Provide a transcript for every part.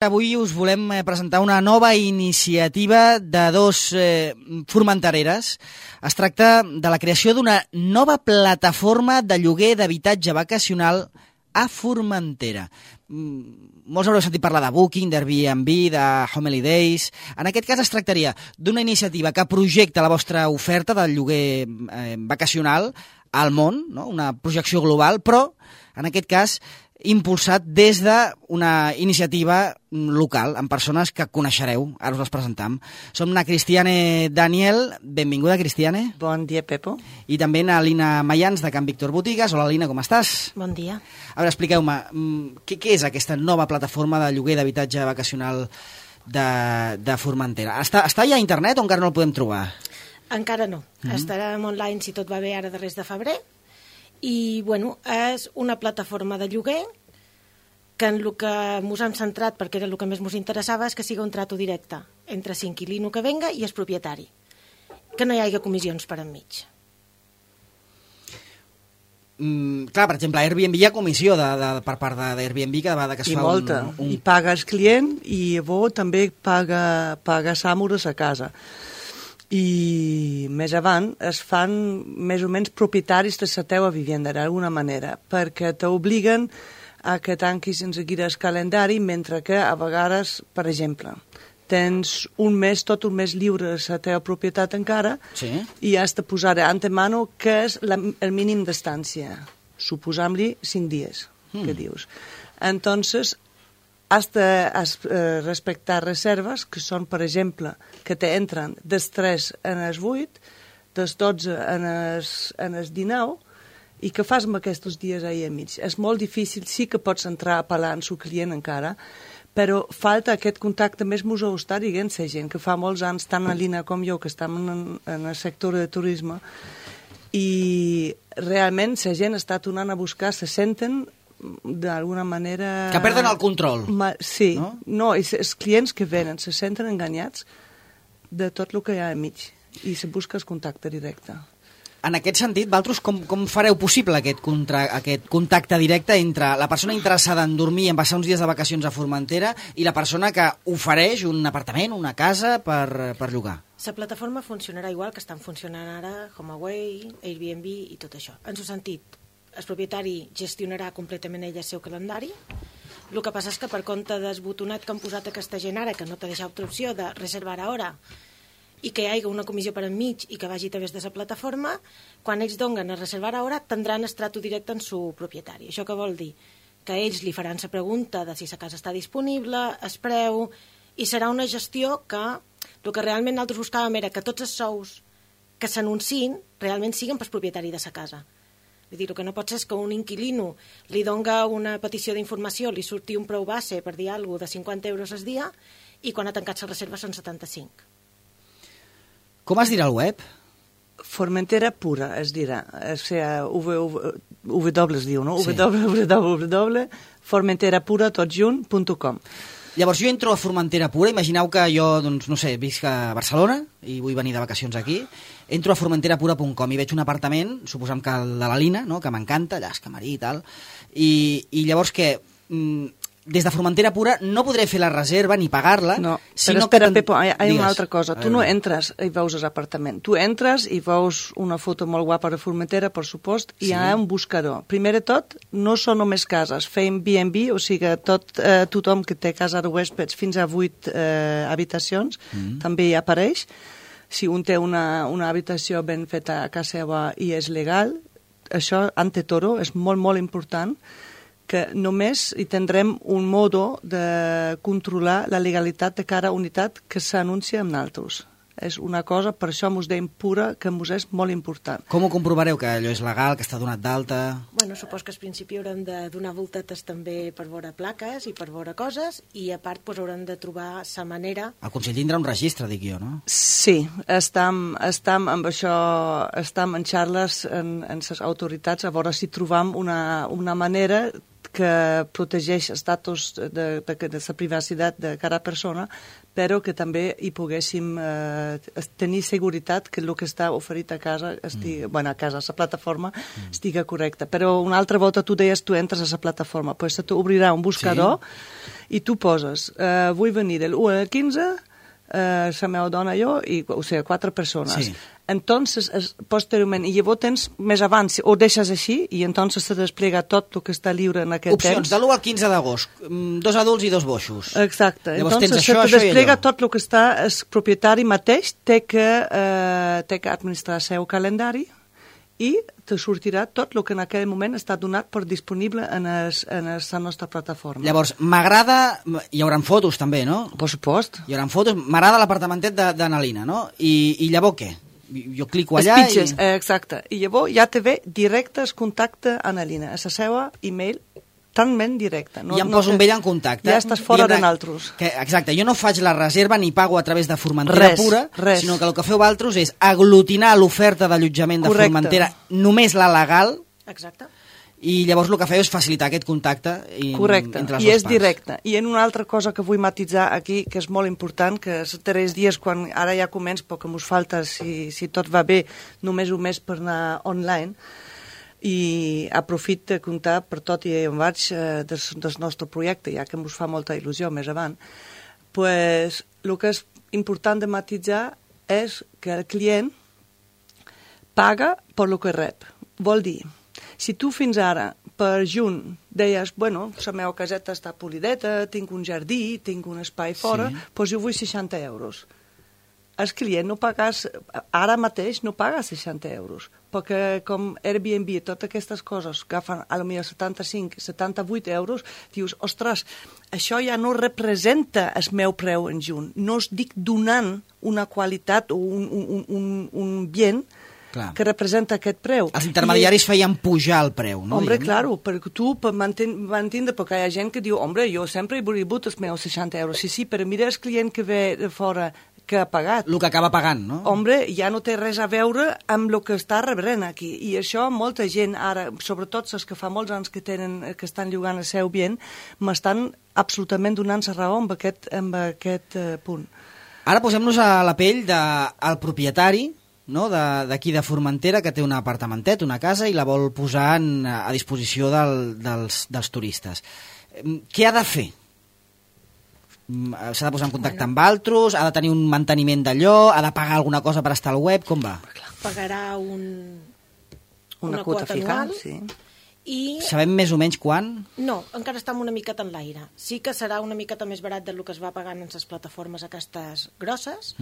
Avui us volem presentar una nova iniciativa de dos formentereres. Es tracta de la creació d'una nova plataforma de lloguer d'habitatge vacacional a Formentera. Molts haureu sentit parlar de Booking, d'Airbnb, de Holidays. En aquest cas es tractaria d'una iniciativa que projecta la vostra oferta del lloguer vacacional al món, no? Una projecció global, però en aquest cas impulsat des d'una iniciativa local, amb persones que coneixereu. Ara us les presentam. Som na Cristiane Daniel. Benvinguda, Cristiane. Bon dia, Pepo. I també na Lina Mayans, de Can Víctor Botigues. Hola, Lina, com estàs? Bon dia. A veure, expliqueu-me, què és aquesta nova plataforma de lloguer d'habitatge vacacional de Formentera? Està ja a internet o encara no el podem trobar? Encara no. Estarem online, si tot va bé, ara darrers de febrer. I, bueno, és una plataforma de lloguer que en el que ens hem centrat, perquè era el que més ens interessava, és que sigui un trato directe entre l'inquilino que venga i el propietari. Que no hi hagi comissions per enmig. Clar, per exemple, a Airbnb hi ha comissió per part d'Airbnb cada vegada que es fa molta. I paga el client i llavors també paga Sàmures a casa. I més avant es fan més o menys propietaris de la teva vivenda d'alguna manera, perquè t'obliguen a que tanquis en seguida el calendari, mentre que a vegades, per exemple, tens tot un mes lliure de la teva propietat encara, sí, i has de posar d'antemano què és el mínim d'estància, suposant-li 5 dies, que dius. Entonces, has de respectar reserves que són, per exemple, que t'entren des 3 en els 8, des 12 en els 19, i que fas amb aquests dies ahir a mig. És molt difícil, sí que pots entrar a parlar amb el client encara, però falta aquest contacte, més m'ho està dient la gent, que fa molts anys, tant a Lina com jo, que estem en el sector de turisme, i realment la gent està tornant a buscar, se senten d'alguna manera... Que perden el control. Sí, no, i els clients que venen se senten enganyats de tot el que hi ha enmig i se busca el contacte directe. En aquest sentit, vosaltres com fareu possible aquest contacte directe entre la persona interessada en dormir i en passar uns dies de vacacions a Formentera i la persona que ofereix un apartament, una casa per llogar? La plataforma funcionarà igual que estan funcionant ara HomeAway, Airbnb i tot això. En el sentit, el propietari gestionarà completament ell el seu calendari. El que passa és que per compte del botonet que han posat aquesta gent ara, que no t'ha deixat altra opció de reservar a hora i que hi hagi una comissió per enmig i que vagi a través de la plataforma, quan ells donguen a reservar a hora tindran el trato directe amb el propietari. Això què vol dir? Que ells li faran la pregunta de si la casa està disponible, el preu, i serà una gestió que el que realment nosaltres buscàvem era que tots els sous que s'anunciïn realment siguin pel propietari de la casa. Vull dir, el que no pot ser és que un inquilino li donga una petició d'informació, li surti un preu base, per dir alguna cosa, de 50 euros al dia, i quan ha tancat la reserva són 75. Com es dirà el web? Formentera Pura, es dirà. O sigui, W es diu, no? Sí. www.formenterapura.com. Llavors jo entro a Formentera Pura, imagineu que jo, doncs, no sé, visc a Barcelona i vull venir de vacacions aquí, entro a formenterapura.com i veig un apartament, suposem que el de la Lina, no? Que m'encanta, allà és camarí i tal, i llavors què? Des de Formentera Pura no podré fer la reserva ni pagar-la. No, però espera, Pepo, hi ha una altra cosa. Tu no entres i veus l'apartament. Tu entres i veus una foto molt guapa de Formentera, per supost, i hi ha un buscador. Primer de tot, no són només cases. Fem B&B, o sigui, tothom que té casa de huéspedes fins a 8 habitacions, també hi apareix. Si un té una habitació ben feta a casa seva i és legal, això, ante todo, és molt, molt important, que només hi tindrem un modo de controlar la legalitat de cada unitat que s'anuncia amb nosaltres. És una cosa, per això ens deim pura, que ens és molt important. Com ho comprovareu, que allò és legal, que està donat d'alta? Bueno, supos que al principi haurem de donar voltetes també per veure plaques i per veure coses, i a part pues, haurem de trobar la manera... El Consell tindrà un registre, dic jo, no? Sí, estem amb això, estem en xarles en les autoritats a veure si trobam una manera que protegeix els datos de la privacitat de cada persona, però que també hi poguéssim tenir seguretat que el que està oferit a casa, a la plataforma, estigui correcte. Però una altra volta tu deies, tu entres a la plataforma, pues se t'obrirà un buscador i tu poses, vull venir del 1 al 15, la meva dona i jo, o sigui, 4 persones. Sí. Entonces, posteriorment, i llavors tens més abans, o deixes així, i entonces se desplega tot el que està lliure en aquest Opcions, temps. de l'1 al 15 d'agost, 2 adults i 2 boixos. Exacte. Llavors Entonces, tens això, se te desplega allò. tot el que està, el propietari mateix té que administrar el seu calendari i te sortirà tot el que en aquell moment està donat per disponible en la nostra plataforma. Llavors, m'agrada... Hi haurà fotos també, no? Per supost. Hi haurà fotos. M'agrada l'apartamentet d'Analina, no? I llavors què? Jo clico allà pitges, exacte. I llavors ja te ve directe el contacte a Anna-Lina, a la seva e-mail, talment directe. No, I em poso amb ella en contacte. Ja estàs fora de naltros. Exacte, jo no faig la reserva ni pago a través de Formentera pura, sinó que el que feu vosaltres és aglutinar l'oferta d'allotjament de Formentera, només la legal. Exacte. I llavors el que feu és facilitar aquest contacte correcte, entre les i dues és parts. Directe. I en una altra cosa que vull matitzar aquí, que és molt important, que els 3 dies, quan ara ja comença, però que ens falta, si tot va bé, només un mes per anar online, i aprofit de comptar per tot i on vaig del nostre projecte, ja que ens fa molta il·lusió més avant, pues, el que és important de matitzar és que el client paga per el que rep. Vol dir, si tu fins ara, per juny, deies, bueno, la meva caseta està polideta, tinc un jardí, tinc un espai fora, doncs jo vull 60 euros. El client no pagas, ara mateix no paga 60 euros, perquè com Airbnb i totes aquestes coses agafen a lo millor 75, 78 euros, dius, ostres, això ja no representa el meu preu en juny, no estic donant una qualitat o un bien que representa aquest preu. Els intermediaris feien pujar el preu, no? Hombre, claro, perquè tu m'entendre, perquè hi ha gent que diu, hombre, jo sempre he volgut els meus 60 euros. Sí, però mira el client que ve de fora que ha pagat. El que acaba pagant, no? Hombre, ja no té res a veure amb el que està rebrent aquí. I això molta gent ara, sobretot els que fa molts anys que estan llogant el seu bien, m'estan absolutament donant la raó amb aquest punt. Ara posem-nos a la pell del propietari, no? D'aquí de Formentera, que té un apartamentet, una casa, i la vol posar a disposició dels turistes. Què ha de fer? S'ha de posar en contacte amb altres? Ha de tenir un manteniment d'allò? Ha de pagar alguna cosa per estar al web? Com va? Pagarà una quota anual, sí. I... Sabem més o menys quan? No, encara està una miqueta en l'aire. Sí que serà una miqueta més barat del que es va pagant en les plataformes aquestes grosses,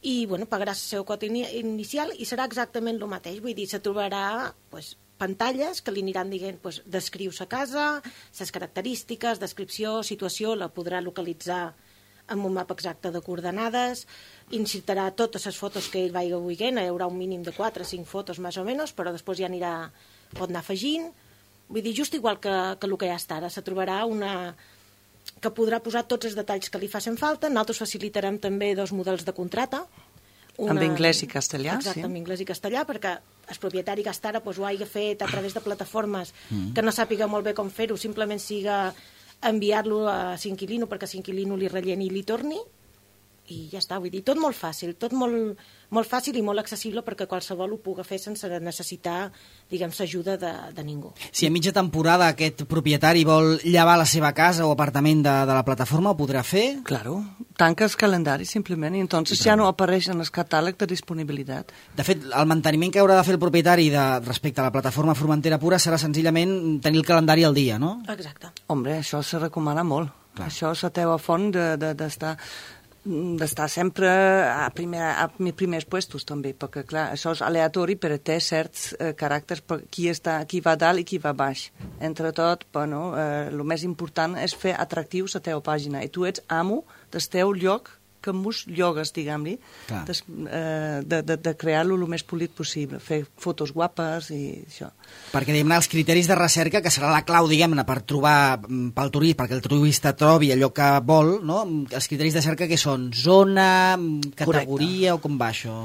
i bueno, pagarà el seu quota inicial i serà exactament el mateix. Vull dir, se trobarà pantalles que li aniran dient, descriu sa casa, ses característiques, descripció, situació, la podrà localitzar amb un mapa exacte de coordenades, incitarà totes les fotos que ell vagi veient, hi haurà un mínim de 4 o 5 fotos més o menys, però després ja pot anar afegint. Vull dir, just igual que el que ja està ara, se trobarà una que podrà posar tots els detalls que li facin falta. Nosaltres facilitarem també 2 models de contrata. Amb anglès i castellà, exacte, amb anglès i castellà, perquè el propietari que està ara ho hagi fet a través de plataformes que no sàpiga molt bé com fer-ho, simplement siga enviar-lo a l'inquilino perquè l'inquilino li relleni i li torni, i ja està. Vull dir, tot molt fàcil, tot molt fàcil i molt accessible perquè qualsevol ho pugui fer sense necessitar, diguem, l'ajuda de ningú. Si a mitja temporada aquest propietari vol llevar la seva casa o apartament de la plataforma, ho podrà fer? Claro, tanca el calendari simplement i entonces ja no apareix en el catàleg de disponibilitat. De fet, el manteniment que haurà de fer el propietari respecte a la plataforma Formentera Pura serà senzillament tenir el calendari al dia, no? Exacte. Hombre, això se recomana molt. Clar. Això és la teva font d'estar sempre a primers puestos també, perquè clar, això és aleatori però té certs caràcters per qui va dalt i qui va baix. Entre tot, bueno, el més important és fer atractiu la teva pàgina i tu ets amo del teu lloc que mus llogues, diguem-li, de crear-lo el més polit possible, fer fotos guapes i això. Perquè, diguem-ne, els criteris de recerca, que serà la clau, diguem-ne, per trobar pel turista, perquè el turista trobi allò que vol, no? Els criteris de cerca que són zona, categoria, correcte, o com va això?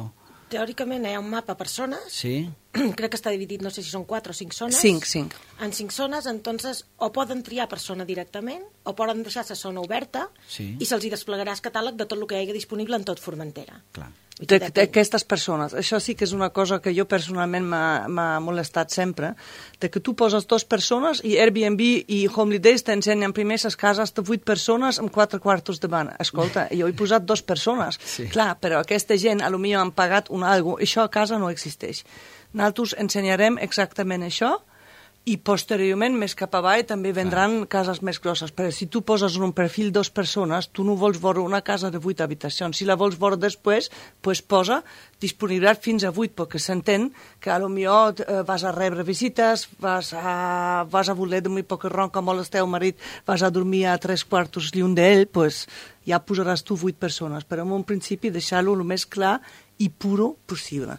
Teòricament hi ha un mapa per zones, Sí. crec que està dividit, no sé si són 4 o 5 zones. 5. En 5 zones, entonces, o poden triar per zona directament, o poden deixar la zona oberta, Sí. i se'ls hi desplegarà el catàleg de tot el que hi hagi disponible en tot Formentera. Clar. D'aquestes persones. Això sí que és una cosa que jo personalment m'ha molestat sempre, de que tu poses 2 persones i Airbnb i Holidays t'ensenyen primer les cases de 8 persones amb 4 quartos de bana. Escolta, jo he posat 2 persones. Sí. Clar, però aquesta gent potser han pagat un algo. Això a casa no existeix. Nosaltres ensenyarem exactament això i posteriorment, més cap avall, també vendran cases més grosses. Però si tu poses en un perfil 2 persones, tu no vols veure una casa de 8 habitacions. Si la vols veure després, pues posa disponibilitat fins a 8, perquè s'entén que potser vas a rebre visites, vas a voler dormir poc ron, com vol el teu marit, vas a dormir a 3 quartos lluny d'ell, pues ja posaràs tu 8 persones. Però en un principi deixar-lo el més clar i puro possible.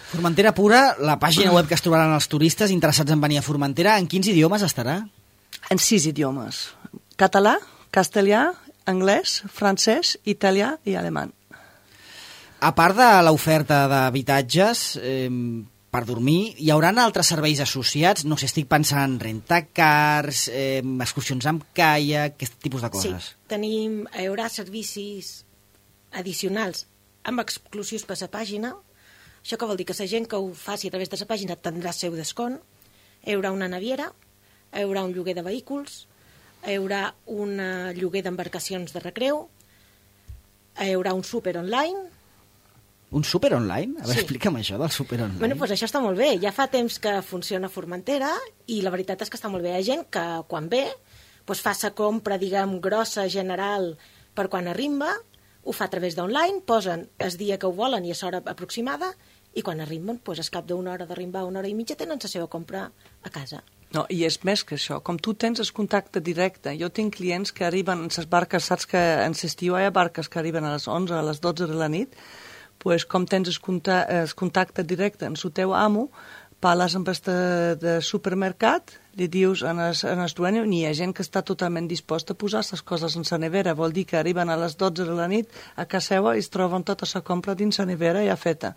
Formentera Pura, la pàgina web que es trobaran els turistes interessats en venir a Formentera, en quins idiomes estarà? En 6 idiomes. Català, castellà, anglès, francès, italià i alemany. A part de l'oferta d'habitatges per dormir, hi haurà altres serveis associats? No sé, estic pensant en rentacars, excursions amb caiac, aquest tipus de coses. Sí, hi haurà servicis addicionals amb exclusius per la pàgina. Això que vol dir que la gent que ho faci a través de la pàgina tindrà el seu descont. Hi haurà una naviera, hi haurà un lloguer de vehicles, hi haurà un lloguer d'embarcacions de recreu, hi haurà un súper online. Un súper online? A veure, Sí. explica'm això del súper online. Bueno, doncs això està molt bé. Ja fa temps que funciona a Formentera i la veritat és que està molt bé. Hi ha gent que quan ve doncs fa la compra, diguem, grossa, general, per quan arriba, ho fa a través d'online, posen el dia que ho volen i a l'hora aproximada, i quan arriben, doncs, al cap d'una hora d'arribar, una hora i mitja, tenen la seva compra a casa. No, i és més que això. Com tu tens el contacte directe, jo tinc clients que arriben en les barques, saps que en l'estiu hi ha barques que arriben a les 11, a les 12 de la nit, pues, com tens el contacte directe amb el teu amo, parles amb el de supermercat, li dius en el dueño, hi ha gent que està totalment disposta a posar les coses en la nevera, vol dir que arriben a les 12 de la nit a casa seva i es troben tota la compra dins la nevera ja feta.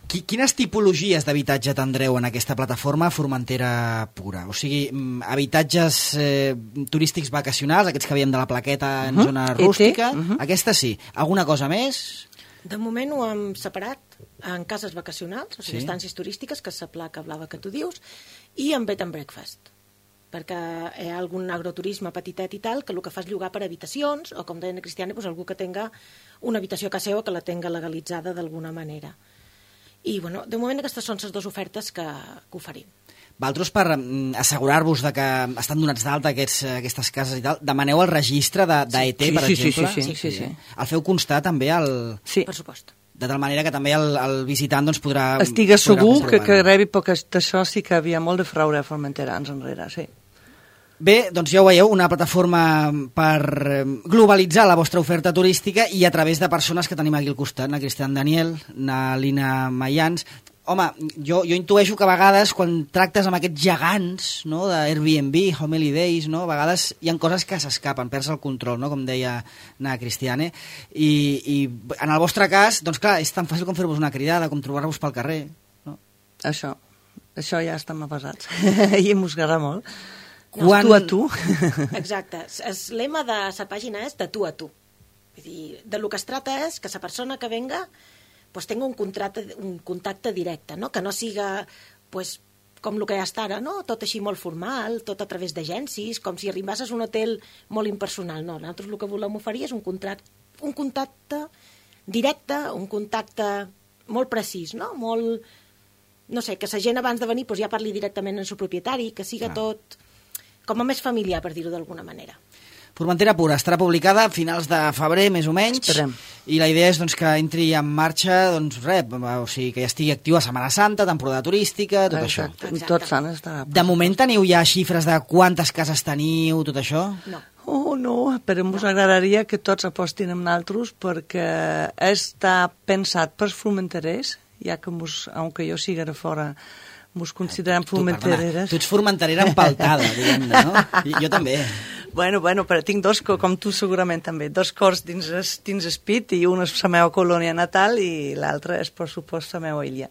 Quines tipologies d'habitatge tindreu en aquesta plataforma Formentera Pura? O sigui, habitatges turístics vacacionals, aquests que veiem de la plaqueta en zona rústica, aquesta sí. Alguna cosa més? De moment ho hem separat en cases vacacionals, o sigui, Sí. estàncies turístiques, que és la placa blava que tu dius, i en bed and breakfast, perquè hi ha algun agroturisme petitet i tal, que el que fa és llogar per habitacions, o com deia la Cristiana, doncs algú que tenga una habitació a casa seva que la tenga legalitzada d'alguna manera. I, bueno, de moment aquestes són les dues ofertes que oferim. Vosaltres, per assegurar-vos de que estan donats d'alta aquestes cases i tal, demaneu el registre d'ET, per exemple? Sí. El feu constar també Sí. Per supost. de tal manera que també el visitant doncs, podrà... Estigues segur que comprovar-ho. rebi, perquè d'això sí que havia molt de fraude a Formentera anys enrere, sí. Bé, doncs ja ho veieu, una plataforma per globalitzar la vostra oferta turística i a través de persones que tenim aquí al costat, na Cristian Daniel, na Lina Mayans. Home, jo intueixo que a vegades quan tractes amb aquests gegants, no, d'Airbnb, Holidays, no, a vegades hi ha coses que s'escapen, perds el control, no, com deia na Cristiane, i en el vostre cas, doncs clar, és tan fàcil com fer-vos una cridada, com trobar-vos pel carrer, no? Això ja estem avasats i em mosgarà molt. Quan... Tu a tu. Exacte. El lema de la pàgina és de tu a tu. Vull dir, de lo que es trata és que la persona que venga pues, tenga un contacte directe, no? Que no siga pues, com el que ja està ara, no? Tot així molt formal, tot a través d'agències, com si arribasses a un hotel molt impersonal. No, nosaltres el que volem oferir és un contacte directe, un contacte molt precís, no? Molt, no sé, que la gent abans de venir pues, ja parli directament amb el propietari, que siga tot com a més familiar, per dir-ho d'alguna manera. Formentera Pura estarà publicada a finals de febrer, més o menys, Esperem. i la idea és doncs, que entri en marxa, doncs res, o sigui, que ja estigui actiu a Setmana Santa, temporada turística, tot això. Exacte. Tot sant estarà. De moment teniu ja xifres de quantes cases teniu, tot això? No. Oh, no, però ens agradaria que tots apostin amb nosaltres perquè està pensat pels formenterers, ja que aunque jo sigui de fora, ens considerem formentereres. Tu ets formenterera empaltada, diguem-ne, no? Jo també. Bueno, però tinc dos, com tu segurament també, dos cors dins el pit, i un és la meva colònia natal i l'altre és, per supost, la meva illa.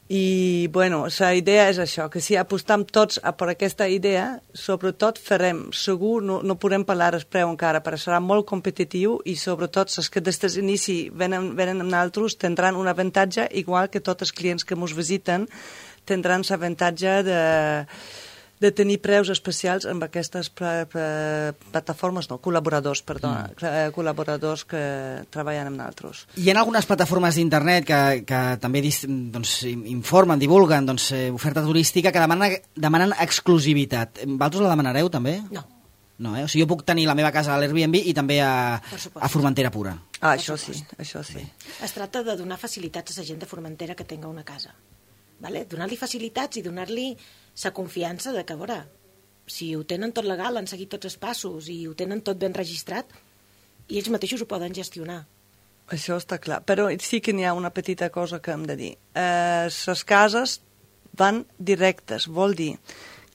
I, bueno, la idea és això, que si apostam tots per aquesta idea, sobretot farem, segur, no podem parlar el preu encara, però serà molt competitiu i, sobretot, els que des d'inici venen amb nosaltres tindran un avantatge, igual que tots els clients que ens visiten tindran l'avantatge de tenir preus especials amb aquestes plataformes, col·laboradors, col·laboradors que treballen amb nosaltres. Hi ha algunes plataformes d'internet que també informen, divulguen oferta turística que demanen exclusivitat. Vosaltres la demanareu també? No. No, o sigui, jo puc tenir la meva casa a l'Airbnb i també a Formentera Pura. Això sí. Es tracta de donar facilitats a la gent de Formentera que tenga una casa. Vale? Donar-li facilitats i donar-li la confiança de que, a veure, si ho tenen tot legal, han seguit tots els passos i ho tenen tot ben registrat, i ells mateixos ho poden gestionar. Això està clar, però sí que n'hi ha una petita cosa que hem de dir. Les cases van directes, vol dir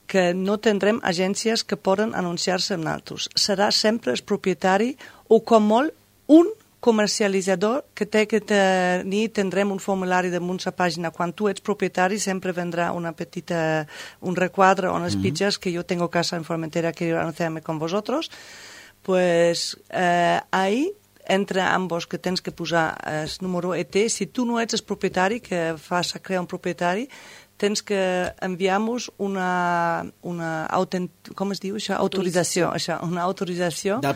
que no tindrem agències que poden anunciar-se amb nosaltres. Serà sempre el propietari o, com molt, un comercialitzador que té que tenir, tindrem un formulari damunt la pàgina. Quan tu ets propietari sempre vendrà un requadre on es pitges que yo tengo casa en Formentera, quiero anunciarme con vosotros. Pues ahí entre ambos que tens que posar el número ET. Si tu no ets el propietari, que fas a crear un propietari, tens que enviar-nos una com es diu això? Autorització. Una autorització del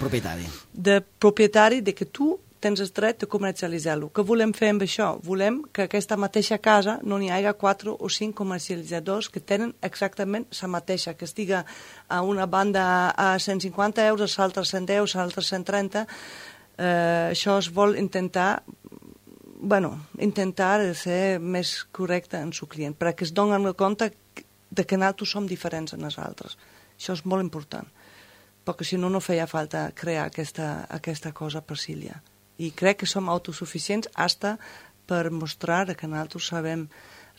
propietari de que tu tens el dret de comercialitzar-lo. Què volem fer amb això? Volem que aquesta mateixa casa no n'hi hagi 4 o 5 comercialitzadors que tenen exactament la mateixa, que estiga a una banda a 150 euros, l'altra 110, l'altra 130. Això es vol intentar ser més correcte en el client, perquè es donen compte de que nosaltres som diferents en els altres. Això és molt important, perquè si no feia falta crear aquesta cosa per Sília. I crec que som autosuficients hasta per mostrar que nosaltres sabem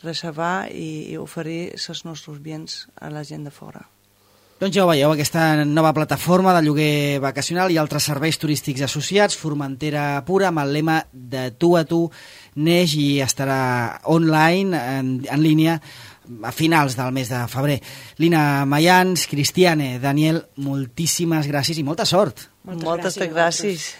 reservar i oferir els nostres béns a la gent de fora. Doncs ja ho veieu, aquesta nova plataforma de lloguer vacacional i altres serveis turístics associats, Formentera Pura, amb el lema de tu a tu, neix i estarà online, en línia, a finals del mes de febrer. Lina Mayans, Cristiane, Daniel, moltíssimes gràcies i molta sort. Moltes gràcies.